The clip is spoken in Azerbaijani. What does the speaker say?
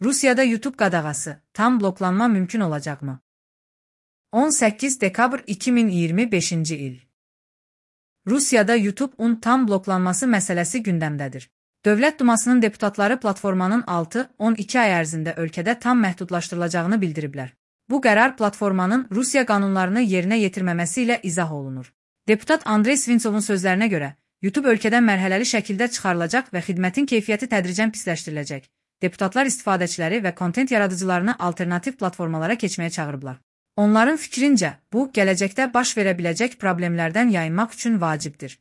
Rusiyada YouTube qadağası, tam bloklanma mümkün olacaqmı? 18 dekabr 2025-ci il. Rusiyada YouTube-un tam bloklanması məsələsi gündəmdədir. Dövlət Dumasının deputatları platformanın 6-12 ay ərzində ölkədə tam məhdudlaşdırılacağını bildiriblər. Bu qərar platformanın Rusiya qanunlarını yerinə yetirməməsi ilə izah olunur. Deputat Andrey Svintsovun sözlərinə görə, YouTube ölkədən mərhələli şəkildə çıxarılacaq və xidmətin keyfiyyəti tədricən pisləşdiriləcək. Deputatlar istifadəçiləri və kontent yaradıcılarını alternativ platformalara keçməyə çağırıblar. Onların fikrincə, bu, gələcəkdə baş verə biləcək problemlərdən yayınmaq üçün vacibdir.